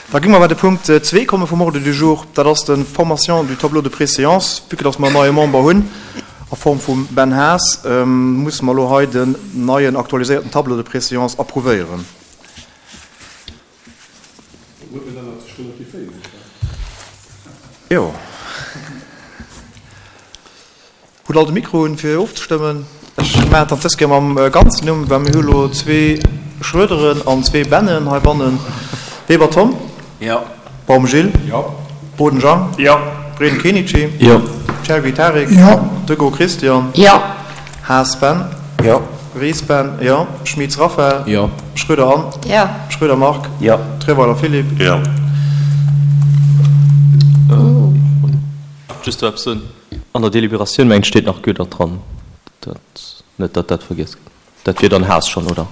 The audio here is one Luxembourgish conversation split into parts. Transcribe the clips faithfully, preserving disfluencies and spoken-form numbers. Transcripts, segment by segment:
Da gi mer bei de Punkt zwee komme vum Ordre du jour. Dat ass de Formation du tableau de préséance. Vue que dass mer en neie Member hunn a Form vum Ben Haas, musse mer elo hei den neien aktualiséierten Tableau de préséance approuvéieren. Jo. Hutt all de Mikro un, fir ofzestëmmen? Ech maachen et dann dës Kéier mam ganzen Numm, well mir hu lo zwee Schroederen an zwee Bennen heibannen. Weber Tom. Jo. Baum Gilles. Jo. Boden Jean. Jo. Breden Kenichi. Jo. Chergui Tarik. Jo. Degault Christian. Jo. Haas Ben. Jo. Ries Ben. Jo. Schmitz Raphaël. Jo. Schroeder Anne. Jo. Schroeder Marc. Jo. Treweiler Philippe. Jo. Just do eppes soen, An der Deliberatioun, mengen ech, steet nach Goedert dran. Dat, net datt dat vergiess gëtt. Dat wier dann Haas schonn, oder?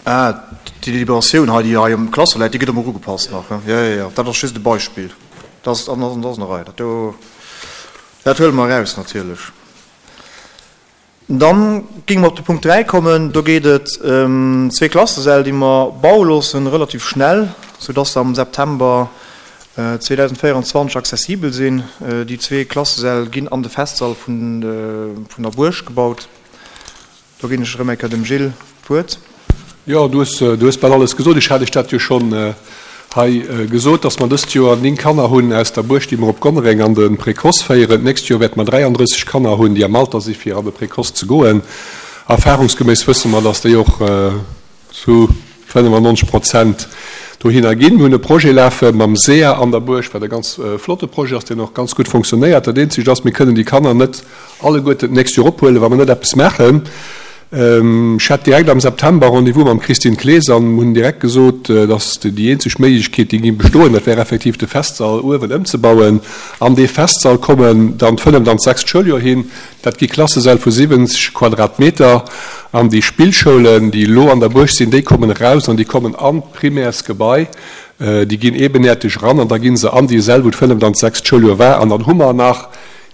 Ah, déi Deliberatioun hei, déi hei um Klasser läit, déi gëtt emol ugepasst nach. Jo, jo, jo, dat ass just e Beispill. Dat ass, dat ass an der Rei. Dat do, dat huele mer eraus natierlech. Dann géinge mer op de Punkt dräi kommen. Do geet et ëm zwee Klassesäll, déi mer baue loossen, relativ schnell, soudass se am September zweedausendvéierundzwanzeg accessibel sinn. Déi zwee Klassesäll ginn an de Festsall vun der Buerg gebaut. Do ginn ech erëm eng Kéier dem Gilles d'Wuert. Jo, du hues, du hues bal alles gesot. Ech hat Iech dat jo schonn hei gesot, dass mer dëst Joer néng Kanner hunn aus der Buerg, déi mer op Gonnereng an de Précoce féieren. D'nächst Joer wäerte mer dräiandrësseg Kanner hunn, déi am Alter si fir an de Précoce ze goen. Erfahrungsgeméiss wësse mer, dass déi och zu fënnefannonzeg Prozent dohinner ginn. Mir hunn e Projet lafe mam SEA an der Buerg, wat e ganz flotte Projet ass, deen och ganz gutt fonctionnéiert. Dat Eenzegt ass, mir kënnen déi Kanner net alleguerten d'nächst Joer ophuelen, wa mer net eppes maachen. Ech hat direkt am September Rendez-vous mam Christine Clees an hunn direkt gesot, dass déi eenzeg Méiglechkeet, déi géing bestoen, dat wär effektiv de Festsall uewen ëmzebauen. An dee Festsall kommen dann d'fënneft an d'sechst Schouljoer hin. Dat gi Klassesäll vu siwwenzeg Quadratmeter. An déi Spillschoulen, déi elo an der Buerg sinn, déi kommen eraus an déi kommen an d'Primärsgebai. Déi ginn ebenäerteg eran an da gi se an déi Säll, wou d'fënneft an d'sechst Schouljoer war. An dann hu mer nach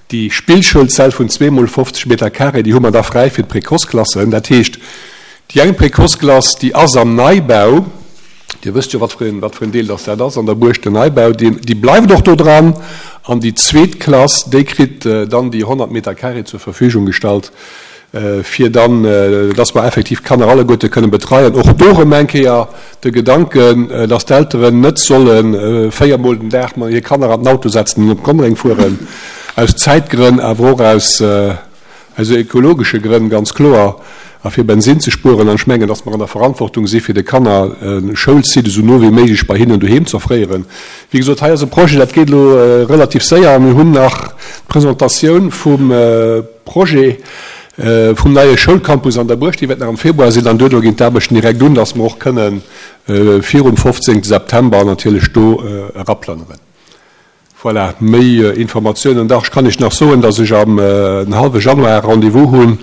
Déi Spillschoulzell vun zwee mol fofzeg Meter carré, déi hu mer da fräi fir d'Précoce-Klassen. Dat heescht, déi eng Précoce-Klass, déi ass am Neibau, Dir wësst jo, wat fir een, wat fir een Deel dass dat ass an der Buerg, den Neibau, deen, déi bleift och do dran. An déi zweet Klass, déi kritt dann déi honnert Meter carré zur Verfügung gestallt, fir dann, dass mer effektiv d'Kanner alleguerte kënnen betreien. Och do erëm eng Kéier de Gedanken, dass d'Elteren net solle véier Mol den Dag hir Kanner an den Auto setzen an op Gonnereng fueren, aus Zäitgrënn, awer och aus ekologesche Grënn, ganz kloer, a fir Bensinn ze spueren. An ech mengen, dass mer an der Verantwortung si fir de Kanner e Schoulsite esou no wéi méiglech bei hinnen doheem ze offréieren. Wéi gesot, hei ass e Projet, dat geet elo relativ séier. Mir hunn nach d'Presentatioun vum Projet vum neie Schoulcampus an der Buerg, déi wäert nach am Februar sinn, an duerno ginn d'Aarbechten direkt un, dass mer och kënne virum fofzéngte September natierlech do eraplënneren. Voilà, méi Informatiounen. Dach, ech kann Iech nach soen, dass ech am den hallwe Januar Rendez-vous hu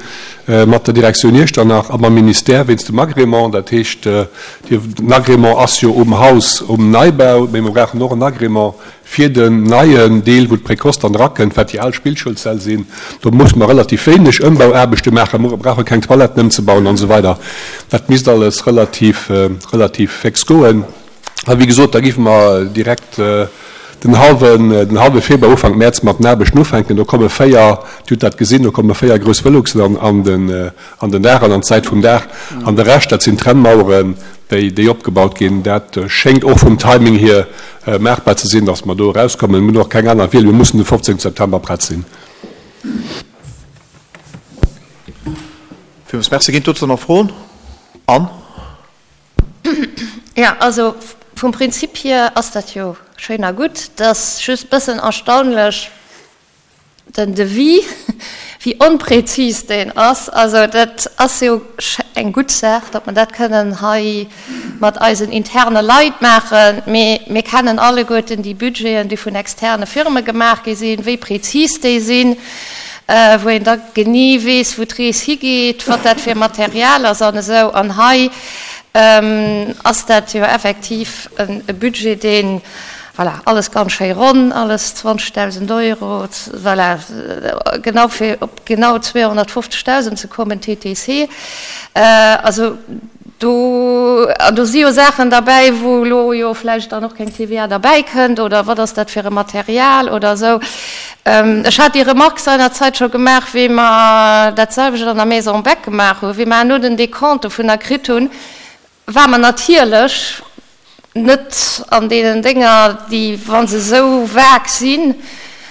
mat der Direktioun Iechternach a mam Ministère wéinst dem Agrément. Dat heescht, den Agrément ass jo um Haus, um Neibau, mee mer brauchen och en Agrément fir den neien Deel, wou d'Précoce dann erakënnt, wat déi al Spillschoulsäll sinn. Do musse mer relativ wéineg Ëmbauaarbechte maachen, mer brauche keng Toiletten ëmzebauen an esou weider. Dat misst alles relativ, relativ féx goen. A wéi gesot, da géife mer direkt den hallwen, den hallwe Februar, Ufank Mäerz mat den Aarbechten ufänken. Do komme véier, Dir hutt dat gesinn, do komme véier grouss Veluxen an, an den, an den Daach an an d'Säit vum Daach. An de Rescht, dat sinn Trennmaueren, déi, déi opgebaut ginn. Dat schéngt och vum Timing hier maachbar ze sinn, dass mer do erauskommen. Mir hunn och keng aner Wiel, mir mussen de fofzéngte September prett sinn. Villmools Merci. Ginn dozou nach Froen? Anne? Jo, also vum Prinzip hier ass dat jo schéin a gutt. Et ass just e bëssen erstaunlech, den Devis, wéi onprezis deen ass. Also dat ass jo eng gutt Saach, datt mer dat kënnen hei mat eisen interne Leit maachen, mee mir kennen alleguerten déi Budgeten, déi vun externe Firme gemaach gi sinn, wéi prezis déi sinn, wou een da genee weess, wou d'Rees higeet, wat dat fir Material ass an esou. An hei ass dat jo effektiv e Budget, deen Voilà, alles ganz schéi ronn, alles zwanzegdausend Euro, voilà, genau fir op genau zweehonnertfofzegdausend ze kommen, T T C. Also do, an do si jo Saachen derbäi, wou elo jo vläicht dann och keng T V A derbäi kënnt oder wat ass dat fir e Material oder esou. Ech hat déi Remarque seinerzeit scho gemaach, wéi mer dat selwecht an der Maison Beck gemaach hunn, wéi mer herno den Décompte dovunner kritt hunn, war mer natierlech net an deenen Dénger, déi, wa se esou vag sinn,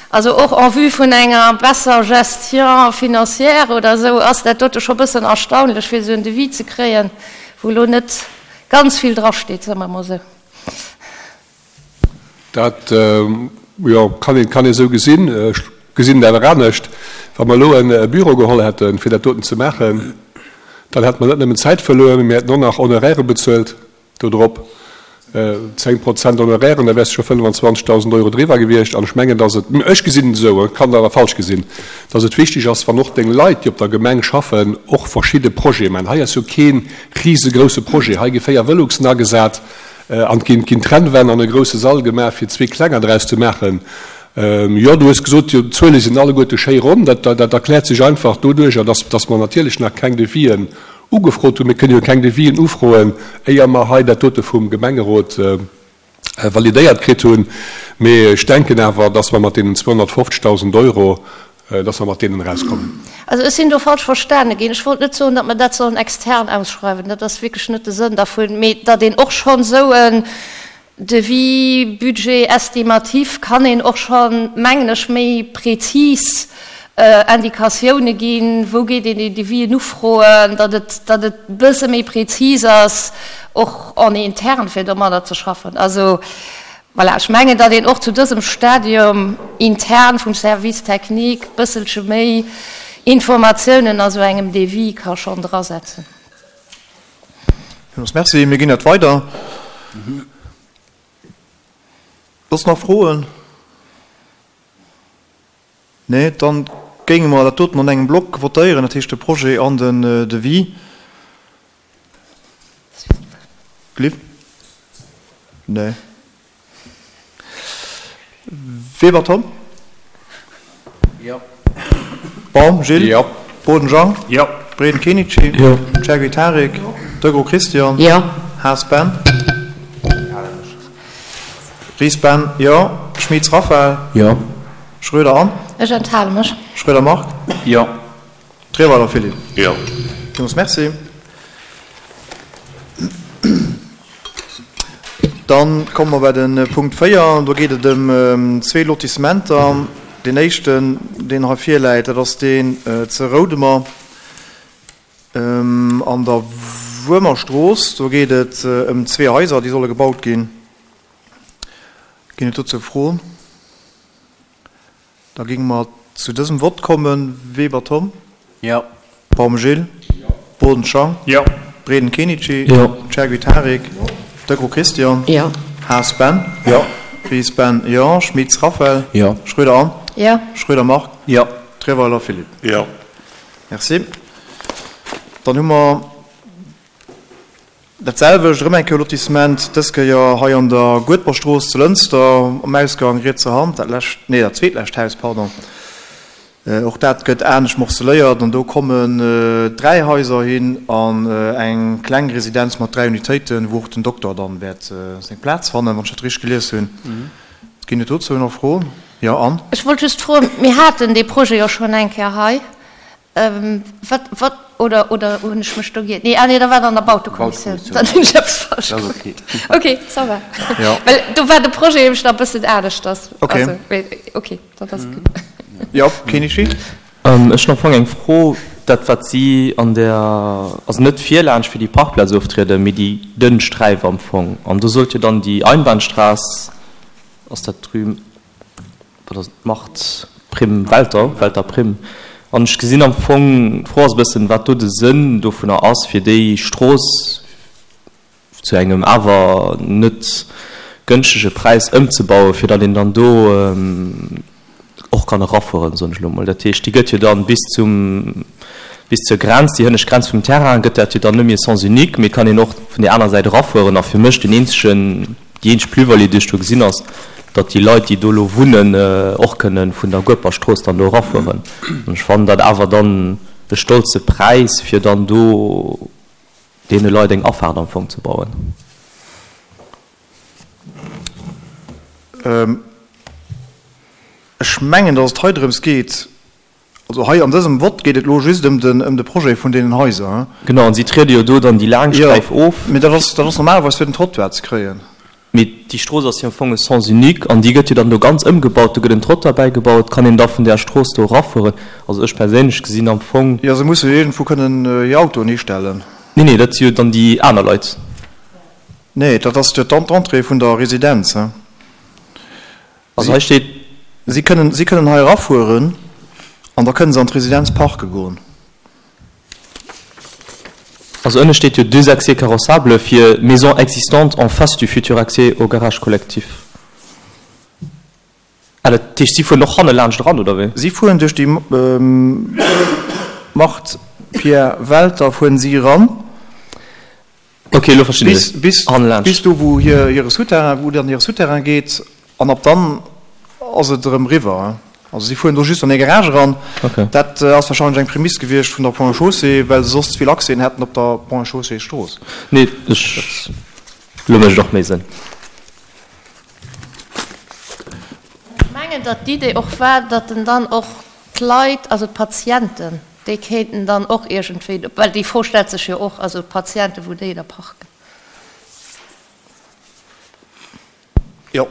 also och en vue vun enger besser Gestion financière oder esou, ass dat dote scho bëssen erstaunlech, fir esou en Devis ze kréien, wou elo net ganz vill drasteet, soe mer emol esou. Dat, jo, kann een, kann ee esou gesinn. Ech gesinn et awer anescht. Wa mer elo e Büro geholl hätten, fir dat doten ze maachen, dann hätte mer net nëmmen Zäit verluer, mee mir hätten och nach Honoraire bezuelt dodrop. Zéng Prozent Honorairen, da wäers de scho fënnwanzwanzegdausend Euro driwwer gewiescht. An ech mengen, dass et, ech gesinn et esou, ech kann et awer falsch gesinn, dass et wichteg ass, wann och deng Leit, déi op der Gemeng schaffen, och verschidde Projete maachen. Hei ass jo kee risegrousse Projet. Hei gi véier Veluxen agesat an et ginn, ginn Trennwänn an e grousse Sall gemaach, fir zwee klenger draus ze maachen. Jo, du hues gesot, d'Zuele sinn alleguerte schéi ronn. Dat, dat erkläert sech einfach doduercher, dass, dass mer natierlech nach keng Devisen ugefrot hunn. Mir kënnen jo keng Devisen ufroen, éier mer hei dat dote vum Gemengerot validéiert kritt hunn. Mee ech denken awer, dass mer mat deenen zweehonnertfofzegdausend Euro, dass mer mat deenen erauskommen. Also ech sinn do falsch verstane ginn. Ech wollt net soen, datt mer dat sollen extern ausschreiwen. Dat ass wierklech net de Sënn dervun. Mee datt een och schonn esou en Devis, Budget estimatif kann een och schonn, mengen ech, méi prezis Indikatioune ginn, wou geet een déi Devisen ufroen, datt et, datt et e bësse méi prezis ass, och en interne fir domadder ze schaffen. Also voilà, ech mengen, datt een och zu dësem Stadium intern vum Service technique e bësselche méi Informatiounen a sou engem Devis ka schonn drasetzen. Villmools Merci. Mir ginn dat weider. Soss nach Froen? Nee, dann géinge mer dat doten an engem Block votéieren, dat heescht de Projet an den Devis. Gliff? Nee. Weber Tom? Jo. Baum Gilles? Jo. Boden Jean? Jo. Breden Kenichi? Jo. Chergui Tarik? Jo. Degros Christian? Jo. Haas Ben? Ries Ben, jo. Schmitz Raphael? Jo. Schröder Anne? Ech enthale mech. Schröder Marc? Jo. Trierweiler Philippe? Jo. Villmools Merci. Dann komme mer bei de Punkt véier. Do geet et ëm zwee Lotissementer. Deen éischten, deen hei virläit, dat ass deen ze Roudemer an der Wuermerstrooss. Do geet et ëm zwee Haiser, déi solle gebaut ginn. Ginn et dozou Froen? Da géinge mer zu dësem Vott kommen. Weber Tom? Jo. Baum Gilles? Jo. Boden Jean? Jo. Breden Kenichi? Jo. Chergui Tarik? Jo. Degros Christian? Jo. Haas Ben? Jo. Ries Ben? Jo. Schmitz Raphael? Jo. Schröder Anne? Jo. Schröder Marc? Jo. Trierweiler Philippe? Jo. Merci. Dann hu mer dat selwecht, erëm eng Kéier Lotissement, dës Kéier hei an der Guedberstrooss zu Lënster, am Ausgang rietser Hand, dat lescht, nee, dat zweetlescht Haus, pardon. Och dat gëtt anescht morceléiert an do kommen dräi Haiser hin an eng kleng Residenz mat dräi Unitéiten, wou och den Dokter dann wäert seng Plaz fannen, wann ech dat richteg gelies hunn. Ginn et dozou nach Froen? Jo, Anne? Ech wollt just froen, mir haten dee Projet jo schonn eng Kéier hei. Wat, wat, oder, oder hunn ech mech do giert? Nee, ah nee, da war et an der Bautekommissioun. Dann hunn ech eppes falsch Dat ass gemaach. okay. Okay, ça va. Ja. Well do war de Projet nämlech nach e bëssen aneschters. Okay. Also, mee, okay, dat ass gutt. Jo, Kenichi? Ech hunn am Fong eng Fro, dat wat si an der, also net virlaanscht fir déi Parkplaz oftrieden, mee déi dënn Sträif am Fong. An do sollt jo dann déi Einbahnstraß, ass dat drüben, wat ass et, Mart Prim, Welter, Welter Prim. An ech gesinn am Fong, d'Fro ass e bëssen, wat do de Sënn dovunner ass, fir déi Strooss zu engem awer net gënschtege Präis ëmzebauen, fir datt een dann do och kann erafueren, soen ech elo mol. Dat heescht, déi gëtt jo dann bis zum, bis zur Grenz, déi hënnescht Grenz vum Terrain, gëtt dat jo dann net méi e Sens unique, mee et kann een och vun där aner Säit erafueren. A fir mech den eenzegen, déi eenzeg Plus-value, déi ech do gesinn, ass, datt déi Leit, déi do elo wunnen, och kënnen vun der Gueperstrooss dann do erafueren. An ech fannen dat awer dann e stolze Präis, fir dann do deene Leit eng Afaart am Fong ze bauen. Ech mengen, datt et hei drëms geet, also hei an dësem Vott geet et elo just ëm den, ëm de Projet vun deenen Haiser. Genau, an si triede jo do dann déi laang Sträif of. Jo, mee dat ass, dat ass normalerweis fir den Trottoir ze kréien. Mee déi Strooss ass jo am Fong e Sens unique an déi gëtt jo dann do ganz ëmgebaut, do gëtt en Trottoir bäigebaut, kann een da vun där Strooss do erafueren. Also ech perséinlech gesinn am Fong. Jo, se musse jo iergendwou kënnen hir Autoen histellen. Nee, nee, dat si jo dann déi aner Leit. Nee, dat ass jo d'Entrée vun der Residenz. Also hei steet. Si kënnen, si kënnen hei erafueren an da kënnen se an d'Residenz parke goen. Also ënne steet jo deux accès carrossables fir maisons existantes en face du futur accès au garage collectif. Ah, dat heescht, si fueren och hanne laanscht eran, oder wéi? Si fueren duerch déi Marthe Pierre Welter fueren si eran. Ok, elo verstinn ech et. Bis, bis do wou hir, hire Souterrain, wou dann hire Souterrain geet an ab dann ass et erëm eriwwer. Also si fueren do just an hir Garage eran. Dat ass wahrscheinlech eng Prämiss gewiescht vun der Ponts et Chaussées, well se soss ze vill Accèsen hätten op der Ponts et Chaussées Strooss. Nee, ech, elo mécht et och méi Sënn. Ech mengen, datt d'Idee och war, datt en dann och d'Leit, also d'Patienten, déi kéinten dann och iergendwéi, well déi Fro stellt sech jo och, also d'Patienten, wou déi da parken. Jo,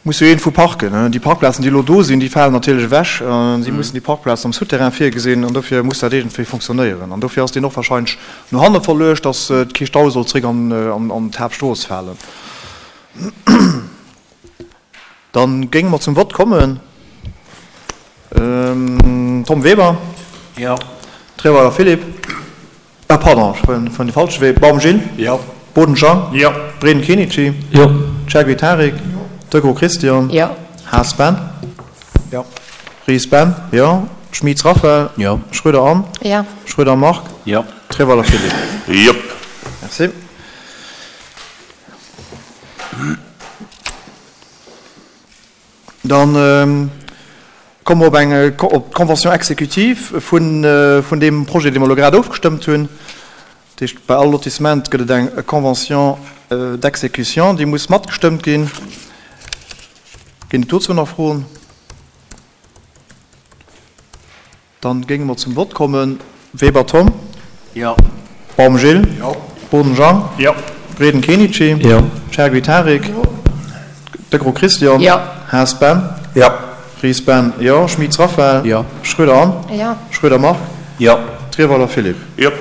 muss jo iergendwou parken. Déi Parkplazen, déi elo do sinn, déi falen natierlech ewech. Si mussen déi Parkplazen am Souterrain virgesinn an dofir muss dat iergendwéi fonctionnéieren. An dofir ass deen och wahrscheinlech no hanne verluecht, datt kee Stau soll zréck an d'Haaptstrooss falen. Da géinge mer zum Vott kommen. Tom Weber. Jo. Treweiler Philippe. Ah, pardon, ech fueren de falsche Wee. Baum Gilles. Jo. Boden Jean. Jo. Breden Kenichi. Jo. Chergui Tarik. Jo. Degraux Christian. Jo. Haas Ben. Jo. Ries Ben. Jo. Schmitz Raphaël. Jo. Schroeder Anne. Jo. Schroeder Marc. Jo. Treweiler Philippe. Jop. Merci. Dann komme mer op eng, op d'Convention exécutive vun, vun deem Projet, dee mer elo grad ofgestëmmt hunn. Dat heescht, bei all Lotissement gëtt et eng Convention d'exécution, déi muss matgestëmmt ginn. Ginn et dozou nach Froen? Dann géinge mer zum Vott kommen. Weber Tom. Jo. Baum Gilles. Jo. Boden Jean. Jo. Breden Kenichi. Jo. Chergui Tarik. Jo. Degraux Christian. Jo. Haas Ben. Jo. Ries Ben. Jo. Schmitz Raphaël. Jo. Schroeder Anne. Jo. Schroeder Marc. Jo. Trierweiler Philippe. Jop.